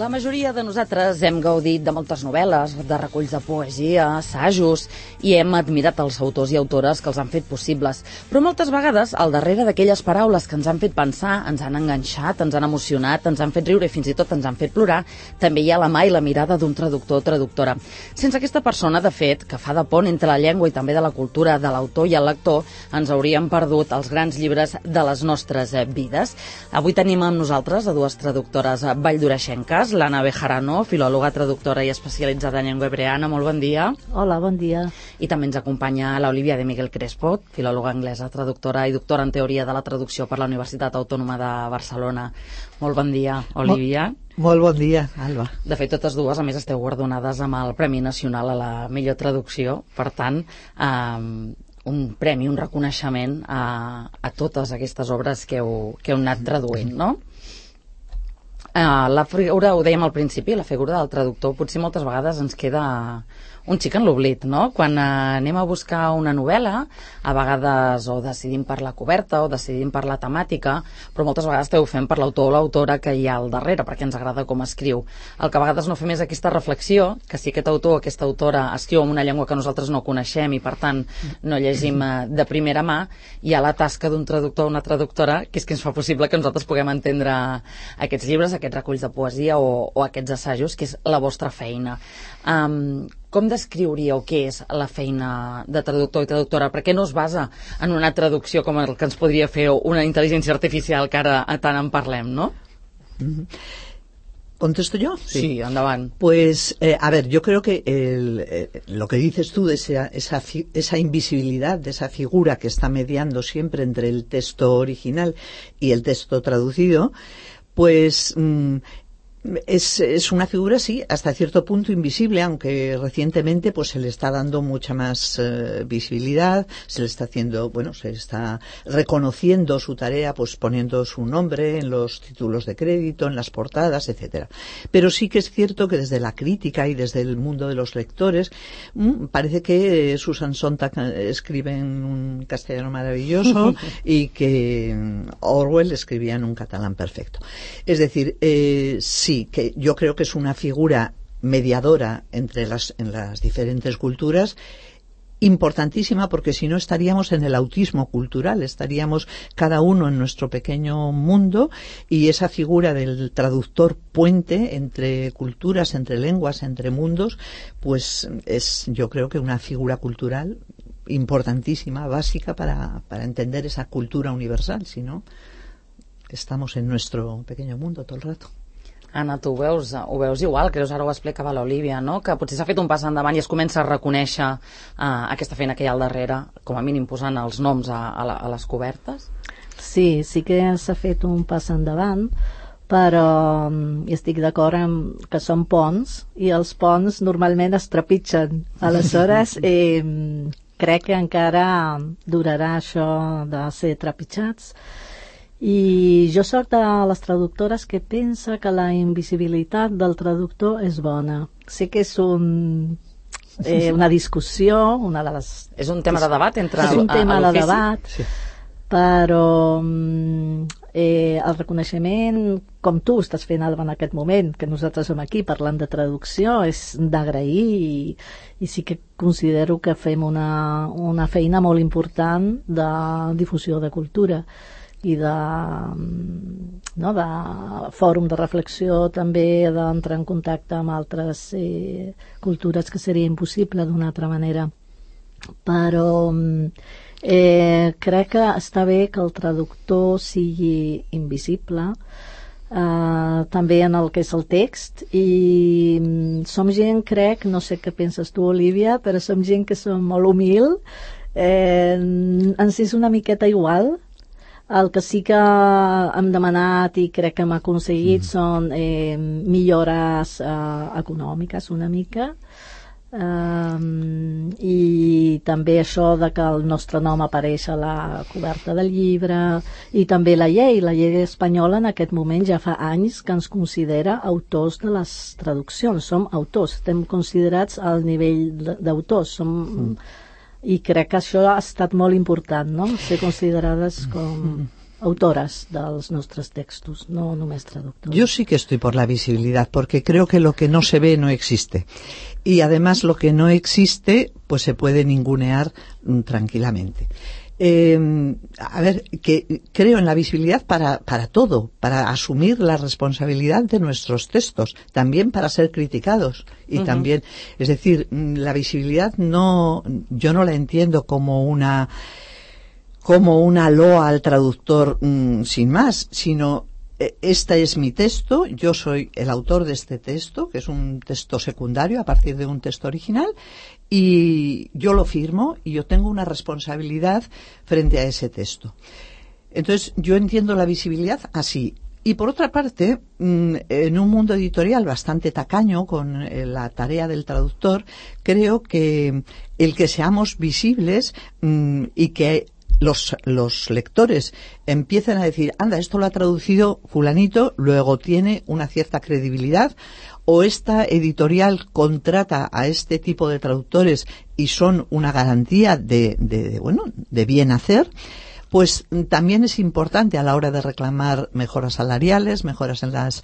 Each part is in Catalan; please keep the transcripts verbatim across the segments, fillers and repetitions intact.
La majoria de nosaltres hem gaudit de moltes novel·les, de reculls de poesia, assajos, i hem admirat els autors i autores que els han fet possibles. Però moltes vegades, al darrere d'aquelles paraules que ens han fet pensar, ens han enganxat, ens han emocionat, ens han fet riure i fins i tot ens han fet plorar, també hi ha la mà i la mirada d'un traductor o traductora. Sense aquesta persona, de fet, que fa de pont entre la llengua i també de la cultura de l'autor i el lector, ens hauríem perdut els grans llibres de les nostres vides. Avui tenim amb nosaltres a dues traductores valldoreixenques, l'Anna Bejarano, filòloga, traductora i especialitzada en llengua hebreana. Molt bon dia. Hola, bon dia. I també ens acompanya l'Olivia de Miguel Crespo, filòloga anglesa, traductora i doctora en teoria de la traducció per la Universitat Autònoma de Barcelona. Molt bon dia, Olivia. Molt, molt bon dia, Alba. De fet, totes dues, a més, esteu guardonades amb el Premi Nacional a la millor traducció. Per tant, eh, un premi, un reconeixement a, a totes aquestes obres que heu, que heu anat traduint, no? Uh, la figura, ho dèiem al principi, la figura del traductor potser moltes vegades ens queda un xic en l'oblit, no? Quan uh, anem a buscar una novel·la, a vegades o decidim per la coberta o decidim per la temàtica, però moltes vegades esteu fent per l'autor o l'autora que hi ha al darrere, perquè ens agrada com escriu. El que a vegades no fem és aquesta reflexió, que si aquest autor o aquesta autora escriu en una llengua que nosaltres no coneixem i per tant no llegim uh, de primera mà, hi ha la tasca d'un traductor o una traductora que és que ens fa possible que nosaltres puguem entendre aquests llibres, aquests reculls de poesia o, o aquests assajos, que és la vostra feina. Um, com descriuríeu què és la feina de traductor i traductora? Per què no es basa en una traducció com el que ens podria fer una intel·ligència artificial que ara tant en parlem, no? ¿Contesto yo? Sí, sí, endavant. Pues, eh, a ver, yo creo que el, eh, lo que dices tú de esa, esa, esa invisibilidad, de esa figura que está mediando siempre entre el texto original y el texto traducido, pues mmm, Es, es una figura, sí, hasta cierto punto invisible, aunque recientemente pues se le está dando mucha más uh, visibilidad, se le está haciendo, bueno, se está reconociendo su tarea, pues poniendo su nombre en los títulos de crédito, en las portadas, etcétera. Pero sí que es cierto que desde la crítica y desde el mundo de los lectores, mmm, parece que Susan Sontag escribe en un castellano maravilloso y que Orwell escribía en un catalán perfecto. Es decir, eh, sí, Sí, que yo creo que es una figura mediadora entre las, en las diferentes culturas, importantísima, porque si no estaríamos en el autismo cultural, estaríamos cada uno en nuestro pequeño mundo, y esa figura del traductor puente entre culturas, entre lenguas, entre mundos, pues es, yo creo que una figura cultural importantísima, básica para, para entender esa cultura universal. Si no, estamos en nuestro pequeño mundo todo el rato. Anna, tu ho veus, ho veus igual, creus, ara ho explicava l'Olivia, no? Que potser s'ha fet un pas endavant i es comença a reconèixer uh, aquesta feina que hi ha al darrere, com a mínim posant els noms a, a, la, a les cobertes? Sí, sí que s'ha fet un pas endavant, però um, estic d'acord amb que són ponts i els ponts normalment es trepitgen. Aleshores, eh, crec que encara durarà això de ser trepitjats. I jo soc de les traductores que pensa que la invisibilitat del traductor és bona. Sé que és un, eh, una discussió, una de les... És un tema de debat entre és un tema de debat, sí. Però eh, el reconeixement, com tu estàs fent, Alba, en aquest moment, que nosaltres som aquí parlant de traducció, és d'agrair i, i sí que considero que fem una, una feina molt important de difusió de cultura i de, no, de fòrum de reflexió, també d'entrar en contacte amb altres eh, cultures que seria impossible d'una altra manera. Però eh, crec que està bé que el traductor sigui invisible, eh, també en el que és el text, i som gent, crec, no sé què penses tu, Olivia, però som gent que som molt humil, eh, ens és una miqueta igual. El que sí que hem demanat i crec que hem aconseguit mm. són eh, millores eh, econòmiques una mica, eh, i també això de que el nostre nom apareix a la coberta del llibre, i també la llei, la llei espanyola en aquest moment ja fa anys que ens considera autors de les traduccions, som autors, estem considerats al nivell d'autors, som... Mm. I crec que això ha estat molt important, no? Ser considerades com autores dels nostres textos, no només traductores. Yo sí que estoy por la visibilidad, porque creo que lo que no se ve no existe. Y además lo que no existe, pues se puede ningunear mm, tranquilamente. Eh, a ver, que creo en la visibilidad para, para todo, para asumir la responsabilidad de nuestros textos, también para ser criticados y uh-huh. también, es decir, la visibilidad no, yo no la entiendo como una como una loa al traductor mmm, sin más, sino eh, este es mi texto, yo soy el autor de este texto, que es un texto secundario a partir de un texto original, y yo lo firmo y yo tengo una responsabilidad frente a ese texto. Entonces, yo entiendo la visibilidad así. Y por otra parte, en un mundo editorial bastante tacaño con la tarea del traductor, creo que el que seamos visibles y que Los, los lectores empiezan a decir, anda, esto lo ha traducido fulanito, luego tiene una cierta credibilidad, o esta editorial contrata a este tipo de traductores y son una garantía de, de, de bueno, de bien hacer, pues también es importante a la hora de reclamar mejoras salariales, mejoras en las...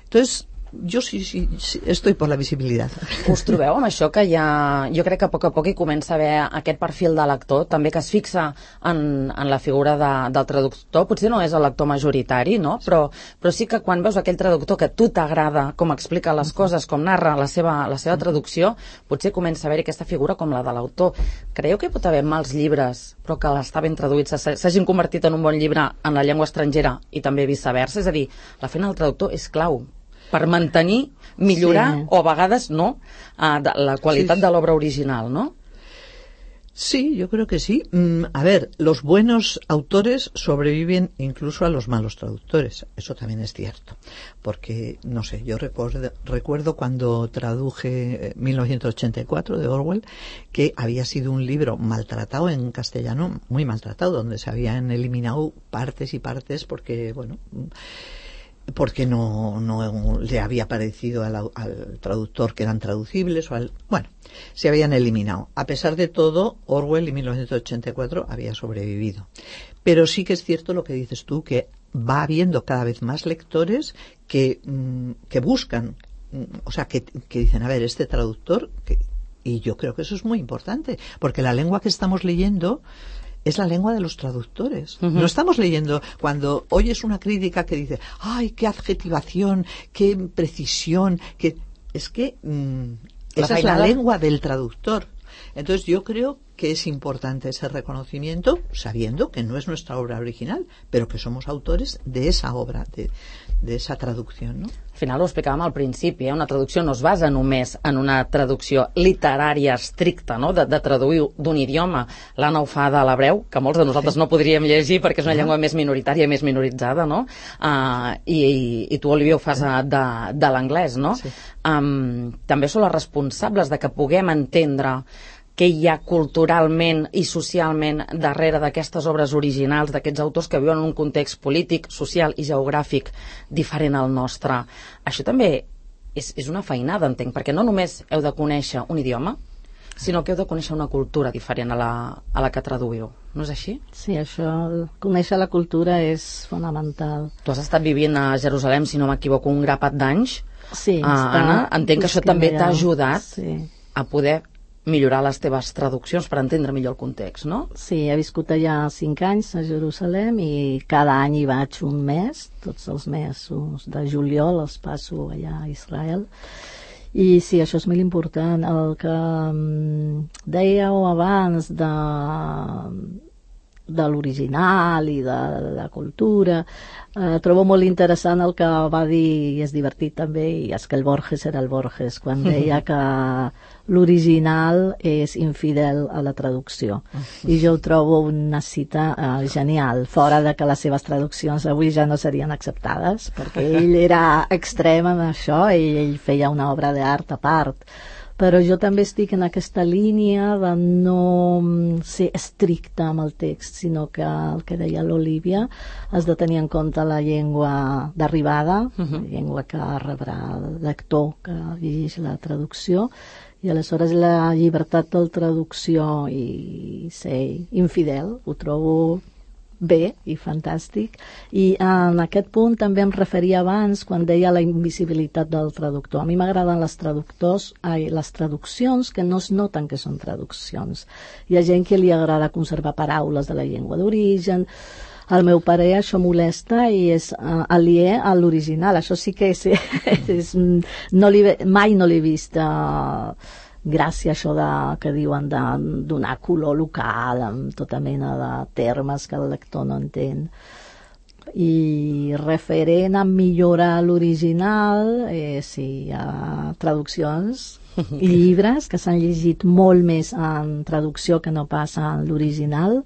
Entonces, jo sí, sí, sí, estoy per la visibilitat. Us trobeu amb això que ja, jo crec que a poc a poc hi comença a haver aquest perfil de lector, també que es fixa en, en la figura de, del traductor, potser no és el lector majoritari, no? Però, però sí que quan veus aquell traductor que a tu t'agrada com explica les coses, com narra la seva, la seva traducció, potser comença a haver-hi aquesta figura com la de l'autor. Creieu que hi pot haver mals llibres, però que l'està ben traduïts, s'hagin convertit en un bon llibre en la llengua estrangera i també viceversa? És a dir, la feina del traductor és clau per mantenir, millorar sí. o a vegades no, uh, de la qualitat sí. de l'obra original, ¿no? Sí, yo creo que sí. Mm, a ver, los buenos autores sobreviven incluso a los malos traductores. Eso también es cierto. Porque, no sé, yo recuerdo, recuerdo cuando traduje mil novecientos ochenta y cuatro de Orwell, que había sido un libro maltratado en castellano, muy maltratado, donde se habían eliminado partes y partes porque, bueno... porque no, no le había parecido al, al traductor que eran traducibles o al, bueno, se habían eliminado. A pesar de todo, Orwell en mil novecientos ochenta y cuatro había sobrevivido. Pero sí que es cierto lo que dices tú, que va habiendo cada vez más lectores que, que buscan, o sea, que, que dicen, a ver, este traductor, que, y yo creo que eso es muy importante, porque la lengua que estamos leyendo es la lengua de los traductores. Uh-huh. No estamos leyendo cuando oyes una crítica que dice, ay, qué adjetivación, qué precisión, que es que mmm, esa es la lengua del traductor. Entonces yo creo que es importante ese reconocimiento, sabiendo que no es nuestra obra original, pero que somos autores de esa obra, de, de esa traducción, ¿no? Al final ho explicàvem al principi, eh? Una traducció no es basa només en una traducció literària estricta, no? de, de traduir d'un idioma. L'Anna ho fa de l'hebreu, que molts de nosaltres sí. no podríem llegir perquè és una llengua més minoritària, més minoritzada, no? Uh, i, i, I tu, Olivia, ho fas sí. de, de l'anglès, no? Sí. Um, també són les responsables de que puguem entendre què hi ha culturalment i socialment darrere d'aquestes obres originals, d'aquests autors que viuen en un context polític, social i geogràfic diferent al nostre. Això també és, és una feinada, entenc, perquè no només heu de conèixer un idioma, sinó que heu de conèixer una cultura diferent a la, a la que traduïu. No és així? Sí, això, conèixer la cultura és fonamental. Tu has estat vivint a Jerusalem, si no m'equivoco, un grapat d'anys. Sí. Uh, Anna, entenc que això també t'ha ajudat sí. a poder millorar les teves traduccions per entendre millor el context, no? Sí, he viscut allà cinc anys a Jerusalem i cada any hi vaig un mes, tots els mesos de juliol els passo allà a Israel. I sí, això és molt important. El que um, dèieu abans de, de l'original i de la cultura, eh, trobo molt interessant el que va dir, i és divertit també, i és que el Borges era el Borges, quan deia que l'original és infidel a la traducció. I jo ho trobo una cita eh, genial, fora de que les seves traduccions avui ja no serien acceptades, perquè ell era extrem en això i ell feia una obra d'art a part. Però jo també estic en aquesta línia de no ser estricta amb el text, sinó que el que deia l'Olivia, has de tenir en compte la llengua d'arribada, uh-huh. la llengua que rebrà el lector que llegeix la traducció, i aleshores la llibertat de traducció i ser infidel ho trobo bé i fantàstic, i en aquest punt també em referia abans quan deia la invisibilitat del traductor. A mi m'agraden les traductors, ai, les traduccions que no es noten que són traduccions. Hi ha gent que li agrada conservar paraules de la llengua d'origen. Al meu pare això molesta i és uh, aliè a l'original. Això sí que és, és, no li, mai no l'he vist uh, gràcia això de, que diuen de donar color local amb tota mena de termes que el lector no entén. I referent a millorar l'original, eh, sí, hi ha traduccions i llibres que s'han llegit molt més en traducció que no passa en l'original.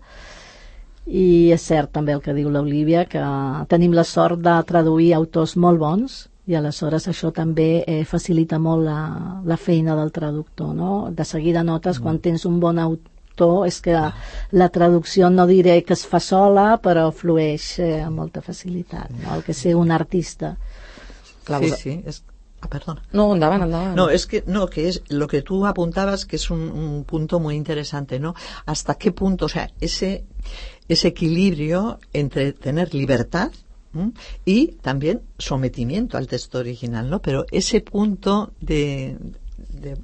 I és cert també el que diu l'Olívia, que tenim la sort de traduir autors molt bons, i aleshores això també eh, facilita molt la, la feina del traductor, no? De seguida notes mm. quan tens un bon autor és que la traducció no diré que es fa sola, però flueix eh, amb molta facilitat, no? El que ser un artista. Sí, sí, es... Ah, perdona. No, endavant, endavant. No, es que, no, que es lo que tú apuntabas, que es un, un punto muy interesante, ¿no? Hasta qué punto, o sea, ese, ese equilibrio entre tener libertad, ¿m? Y también sometimiento al texto original, ¿no? Pero ese punto de, de,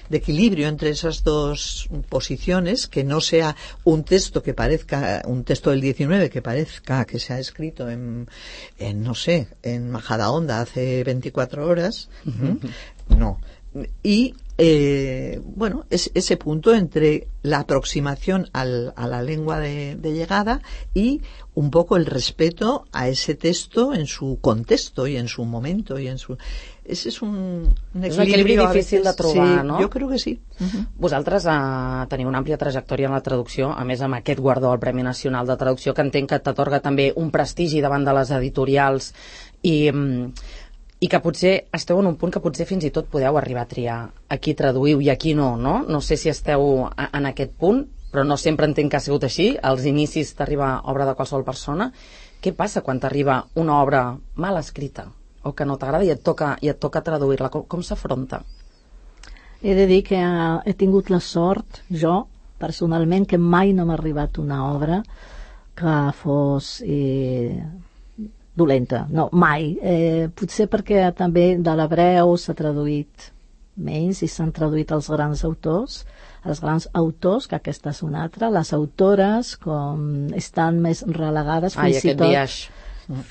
de equilibrio entre esas dos posiciones, que no sea un texto que parezca, un texto del diecinueve que parezca que se ha escrito en, en no sé, en Majadahonda hace veinticuatro horas, ¿m? No. Y eh, bueno, es ese punto entre la aproximación al, a la lengua de, de llegada y un poco el respeto a ese texto en su contexto y en su momento y en su... Ese és un, un és un equilibri difícil de trobar, sí, no? Jo crec que sí. Uh-huh. Vosaltres uh, teniu una àmplia trajectòria en la traducció, a més amb aquest guardó al Premi Nacional de Traducció, que entenc que t'atorga també un prestigi davant de les editorials i... Um, i que potser esteu en un punt que potser fins i tot podeu arribar a triar a qui traduïu i a qui no, no? No sé si esteu a, en aquest punt, però no sempre entenc que ha sigut així, als inicis t'arriba obra de qualsevol persona. Què passa quan t'arriba una obra mal escrita o que no t'agrada i et toca, i et toca traduir-la? Com, com s'afronta? He de dir que he tingut la sort, jo, personalment, que mai no m'ha arribat una obra que fos... Eh, dolenta, no, mai. Eh, potser perquè també de l'hebreu s'ha traduït menys i s'han traduït els grans autors, els grans autors, que aquesta és una altra, les autores com estan més relegades Ai, fins i tot biaix.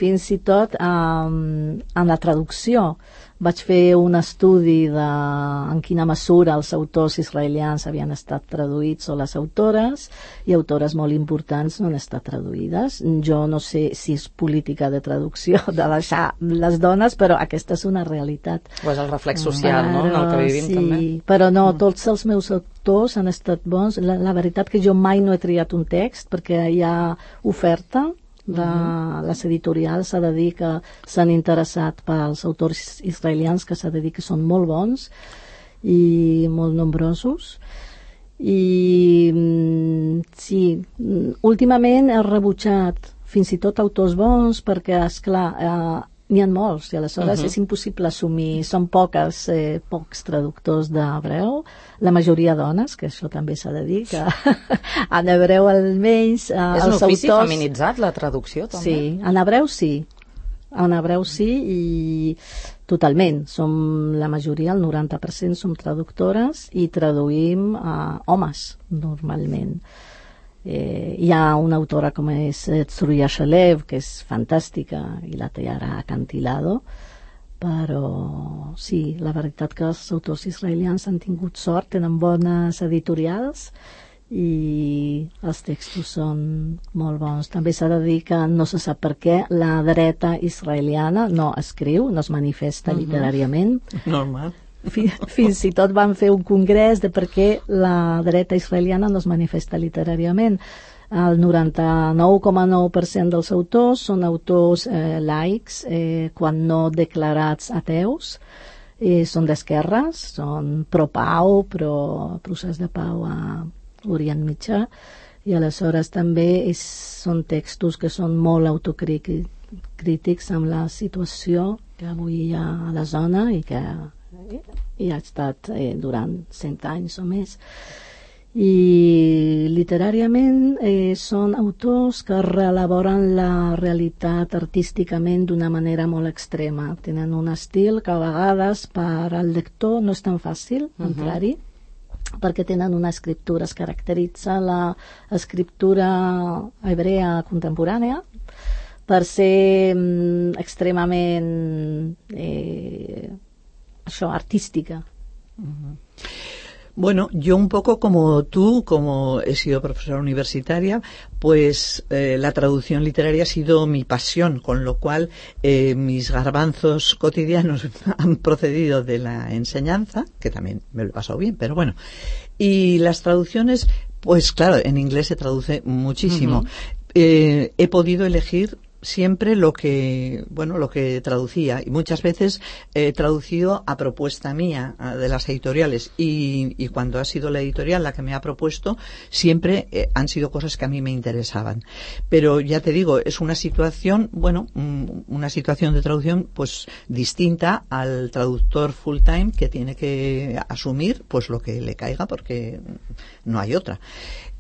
fins i tot um, en la traducció. Vaig fer un estudi de en quina mesura els autors israelians havien estat traduïts o les autores, i autores molt importants no han estat traduïdes. Jo no sé si és política de traducció de deixar les dones, però aquesta és una realitat. O és el reflex social, però, no?, en el que vivim sí, també. Però no, tots els meus autors han estat bons. La, la veritat que jo mai no he triat un text perquè hi ha oferta de les editorials, s'ha de dir que s'han interessat pels autors israelians, que s'ha de dir que són molt bons i molt nombrosos. I sí, últimament he rebutjat fins i tot autors bons perquè, esclar, eh, n'hi ha molts i aleshores uh-huh. és impossible assumir. Són poques, eh, pocs traductors d'hebreu, la majoria dones, que això també s'ha de dir, que en hebreu almenys eh, és un els ofici autors... feminitzat, la traducció, també? Sí, en hebreu sí. En hebreu sí, i totalment. Som la majoria, el noranta per cent, som traductores i traduïm eh, homes, normalment. Eh, hi ha una autora com és Tzruya Shalev, que és fantàstica, i la té ara Acantilado, però sí, la veritat que els autors israelians han tingut sort, tenen bones editorials i els textos són molt bons. També s'ha de dir que no se sap per què la dreta israeliana no escriu, no es manifesta uh-huh. literàriament. Normal. Fins i tot van fer un congrés de per què la dreta israeliana no es manifesta literàriament. El noranta-nou coma nou per cent dels autors són autors eh, laics, eh, quan no declarats ateus, eh, són d'esquerres, són pro-pau, pro-procés de pau a Orient Mitjà, i aleshores també és, són textos que són molt autocrítics amb la situació que avui hi ha a la zona i que i ha estat eh, durant cent anys o més. I literàriament eh, són autors que reelaboren la realitat artísticament d'una manera molt extrema. Tenen un estil que a vegades per al lector no és tan fàcil entrar-hi, uh-huh. perquè tenen una escriptura, es caracteritza l'escriptura hebrea contemporània per ser mm, extremament eh, això, artística. Uh-huh. Bueno, yo un poco como tú, como he sido profesora universitaria, pues eh, la traducción literaria ha sido mi pasión, con lo cual eh, mis garbanzos cotidianos han procedido de la enseñanza, que también me lo he pasado bien, pero bueno. Y las traducciones, pues claro, en inglés se traduce muchísimo. Uh-huh. Eh, he podido elegir siempre lo que, bueno, lo que traducía, y muchas veces he traducido a propuesta mía de las editoriales, y, y cuando ha sido la editorial la que me ha propuesto, siempre eh, han sido cosas que a mí me interesaban. Pero ya te digo, es una situación, bueno, una situación de traducción pues distinta al traductor full time, que tiene que asumir pues lo que le caiga, porque no hay otra.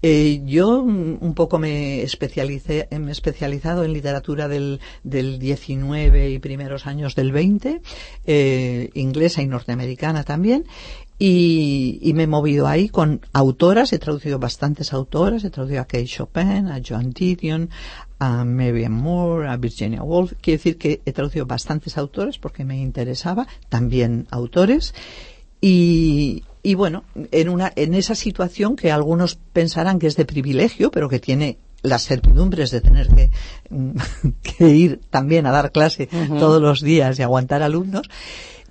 Eh, yo un poco me especialicé, me he especializado en literatura del, del diecinueve y primeros años del veinte, eh, inglesa y norteamericana también, y, y me he movido ahí con autoras, he traducido bastantes autoras, he traducido a Kate Chopin, a Joan Didion, a Marianne Moore, a Virginia Woolf. Quiero decir que he traducido bastantes autores porque me interesaba, también autores, y Y bueno, en una en esa situación que algunos pensarán que es de privilegio, pero que tiene las certidumbres de tener que, que ir también a dar clase uh-huh. todos los días y aguantar alumnos,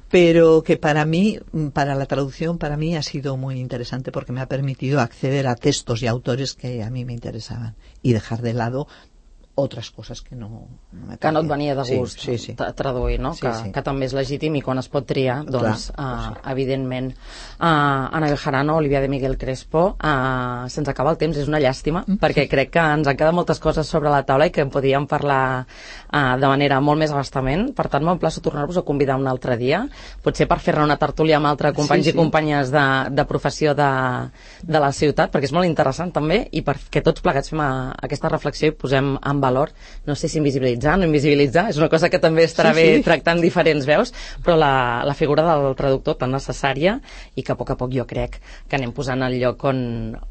pero que para mí, para la traducción, para mí ha sido muy interesante porque me ha permitido acceder a textos y autores que a mí me interesaban y dejar de lado otras cosas que no, no me que no et venia de gust sí, sí, sí. traduir, no? Sí, que, sí. que també és legítim i quan es pot triar, doncs, Clar, uh, sí. evidentment. Uh, Ana Bejarano, Olivia de Miguel Crespo, uh, se'ns acaba el temps, és una llàstima, mm. perquè crec que ens han quedat moltes coses sobre la taula i que en podíem parlar uh, de manera molt més abastament. Per tant, m'emplaço a tornar-vos a convidar un altre dia, potser per fer-ne una tertúlia amb altres companys sí, sí. i companyes de, de professió de, de la ciutat, perquè és molt interessant també, i perquè tots plegats fem a, aquesta reflexió i posem en valor, no sé si invisibilitzar, no invisibilitzar, és una cosa que també estarà sí, bé sí. tractant diferents veus, però la, la figura del traductor tan necessària i que a poc a poc jo crec que anem posant al lloc on,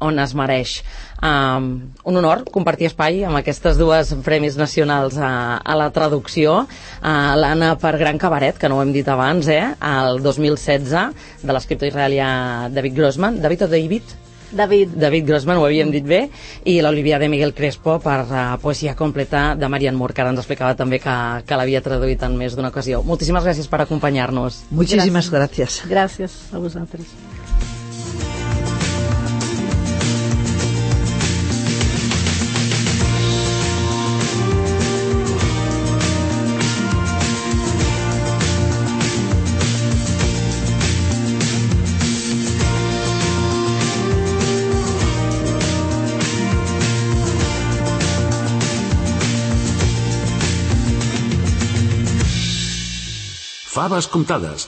on es mereix. Um, un honor compartir espai amb aquestes dues premis nacionals a, a la traducció, uh, l'Anna per Gran Cabaret, que no ho hem dit abans, eh? El dos mil setze, de l'escriptor israelià David Grossman. David o David? David. David Grossman, ho havíem dit bé, i l'Olivia de Miguel Crespo per uh, Poesia completa de Marianne Moore, que ara ens explicava també que, que l'havia traduït en més d'una ocasió. Moltíssimes gràcies per acompanyar-nos. Muchísimas gracias. Gràcies a vosaltres. Faves comptades,